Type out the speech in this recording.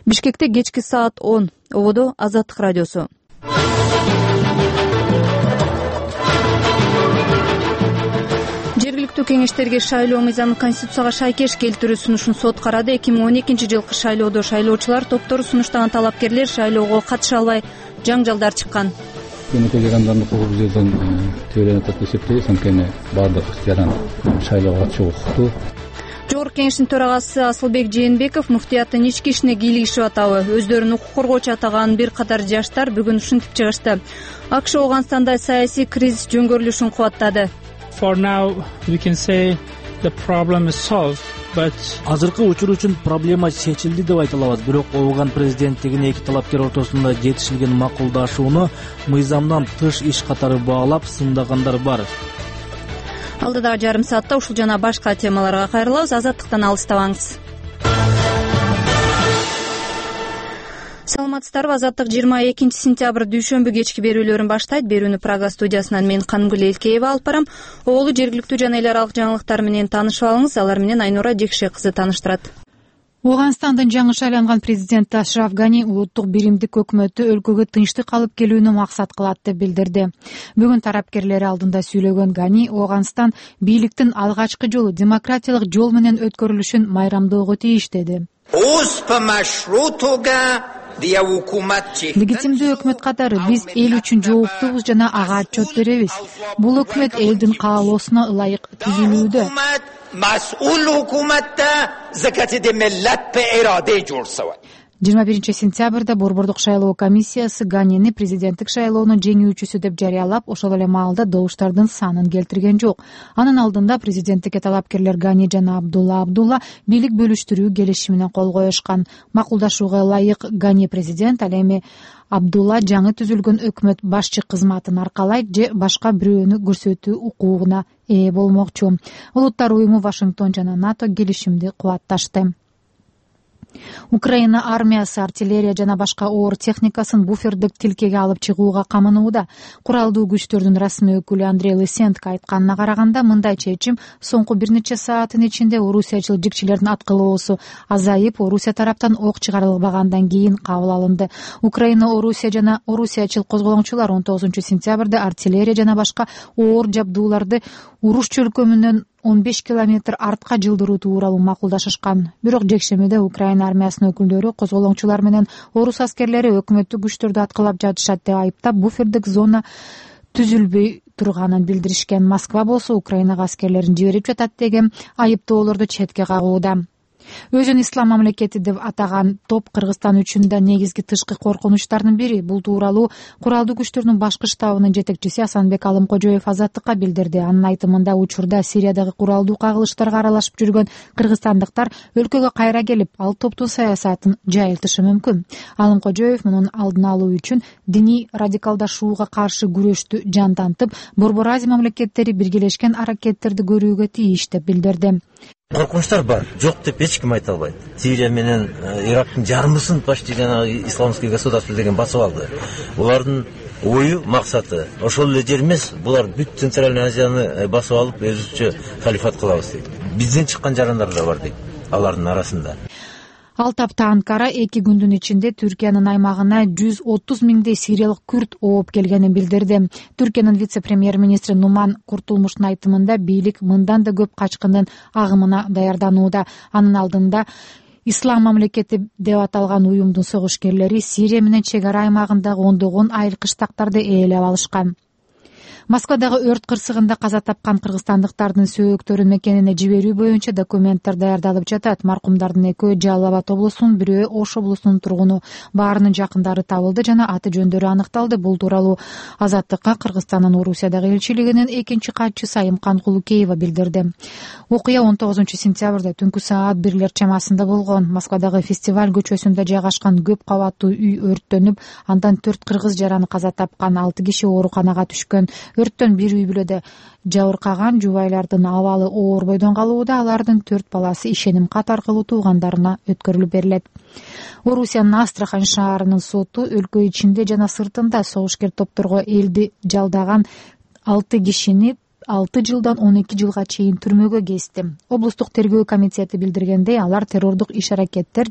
Бишкекте кечки саат 10. Ободо Азаттык радиосу. Жергиликтүү кеңештерге шайлоо мыйзамы Конституцияга шайкеш келтирүү сунушун сот карады. 2012 жылкы шайлоодо шайлоочулар топтору сунуштаган талапкерлер шайлоого катыша албай жаңжалдар чыккан. Өнөкөй жарандардын укугу жерден тебеленип атат деп эсептейбиз. Анткени баардык жаран шайлоого катышууга укуктуу. Жогорку кеңештин төрагасы Асылбек Жээнбеков муфтияттын ички ишине кийлигишип атабы. Өздөрүн укук коргоочу атаган бир катар жаштар бүгүн ушинтип чыгышты. АКШ Ооганстанда саясий кризис жөнгөрүлүшүн кубаттады. Азыркы учур үчүн проблема чечилди деп айта алабыз, бирок Ооган президенттигине эки талапкер ортосунда жетишилген макулдашууну мыйзамдан тыш иш катары баалап сындагандар бар. Алдыдагы жарым саатта ушул жана башка темаларга кайрылабыз. Азаттыктан алыстабаңыз. Саламатсыздарбы? Азаттык 22 сентябрь дүйшөмбү кечки берүүлөрүн баштайт. Берүүнү Прага студиясынан мен Канымгүл Элкеева алып барам. Оолу жергиликтүү жана эл аралык жаңылыктар менен таанышып алыңыз. Алар менен Айнура Жекше кызы тааныштырат. Ооганстандын жаңы шайланган президенти Ашраф Гани улуттук биримдик өкмөтү өлкөгө тынчтык алып келүүнү максат кылат деп билдирди. Бүгүн тараптерлери алдында сүйлөгөн Гани Ооганстан бийликтин алгачкы жолу демократиялык жол менен өткөрүлүшүн майрамдоого тийиш деди. Легитимдүү өкмөт катары биз эл үчүн жооптубуз жана ага отчет беребиз. Бул өкмөт элдин каалоосуна ылайык түзүлүүдө. 21 сентябрда Борбордук шайлоо комиссиясы Ганини президенттик шайлоонун жеңүүчүсү деп жарыялап, ошол эле маалда добуштардын санын келтирген жок. Анын алдында президенттикке талапкерлер Гани жана Абдулла бийлик бөлүштүрүү келишимине кол коюшкан. Макулдашууга ылайык Гани президент, ал эми Абдулла жаңы түзүлгөн өкмөт башчы кызматын аркалайт же башка бирөөнү көрсөтүү укугуна ээ болмокчу. Улуттар уюму, Вашингтон жана НАТО келишимди кубатташты. Украина армиясы артиллерия жана башка оор техникасын буфердик тилкеге алып чыгууга камынууда. Куралдуу күчтөрдүн расмий өкүлү Андрей Лысенко айтканына караганда, мындай чечим соңку бир нече сааттын ичинде орусиячыл жикчилердин аткылоосу азайып, Орусия тараптан ок чыгарылбагандан кийин кабыл алынды. Украина, Орусия жана орусиячыл козголоңчулар 19 сентябрда артиллерия жана башка оор жабдууларды уруш чөлкөмүнөн 15 километр артка жылдыруу тууралуу макулдашышкан. Бирок жекшемеде Украина армиясынын өкүлдөрү козголоңчулар менен орус аскерлери өкмөттүк күчтөрдү аткылап жатышат деп айыптап, буфердик зона түзүлбөй турганын билдиришкен. Москва болсо Украинага аскерлерин жиберип жатат деген айыптоолорду четке кагууда. Өзүн ислам мамлекети деп атаган топ Кыргызстан үчүн да негизги тышкы коркунучтардын бири. Бул тууралуу куралдуу күчтөрдүн башкы штабынын жетекчиси Асанбек Алымкожоев Азаттыкка билдирди. Анын айтымында, учурда Сириядагы куралдуу кагылыштарга аралашып жүргөн кыргызстандыктар өлкөгө кайра келип, ал топтун саясатын жайылтышы мүмкүн. Алымкожоев мунун алдын алуу үчүн диний радикалдашууга каршы күрөштү жандантып, Борбор Азия мамлекеттери биргелешкен аракеттерди көрүүгө тийиш деп билдирди. Коркунучтар бар, жок деп эч ким айта албайт. Сирия менен Ирактын жарымысын почти жанагы исламский государство деген басып алды. Булардын ою, максаты ошол эле жер эмес, булар бүт Центральный Азияны басып алып, өзүчө халифат кылабыз дейт. Бизден чыккан жарандар да бар дейт алардын арасында. Ал тапта Анкара 2 күндүн ичинде Түркиянын аймагына 130 миңдей сириялык күрд ооп келгенин билдирди. Түркиянын вице-премьер-министри Нуман Куртулмуштун айтымында, бийлик мындан да көп качкындын агымына даярданууда. Анын алдында Ислам мамлекети деп аталган уюмдун согушкерлери Сирия менен чек ара аймагындагы ондогон айыл кыштактарды ээлеп алышкан. Москвадагы өрт кырсыгында каза тапкан кыргызстандыктардын сөөктөрүн мекенине жиберүү боюнча документтер даярдалып жатат. Маркумдардын экөө Жалал Абад облусунун, бирөө Ош облусунун тургуну. Баарынын жакындары табылды жана аты жөндөрү аныкталды. Бул тууралуу Азаттыкка Кыргызстандын Орусиядагы элчилигинин экинчи катчысы Айымкан Кулукеева билдирди. Окуя 19 сентябрда түнкү саат 1 чамасында болгон. Москвадагы Фестиваль көчөсүндө жайгашкан көп кабаттуу үй өрттөнүп, андан 4 кыргыз жараны каза тапкан, 6 киши ооруканага түшкөн. Өрттөн бир үй бүлөдө жабыркаган, жубайлардын абалы оор бойдон калууда. Алардын 4 баласы ишеним кат аркылуу туугандарына өткөрүлүп берилет. Орусиянын Астрахань шаарынын соту өлкө ичинде жана сыртында согушкер топторго элди жалдаган 6 кишини 6 жылдан 12 жылга чейин түрмөгө кести. Облустук тергөө комитети билдиргендей, алар террордук иш-аракеттер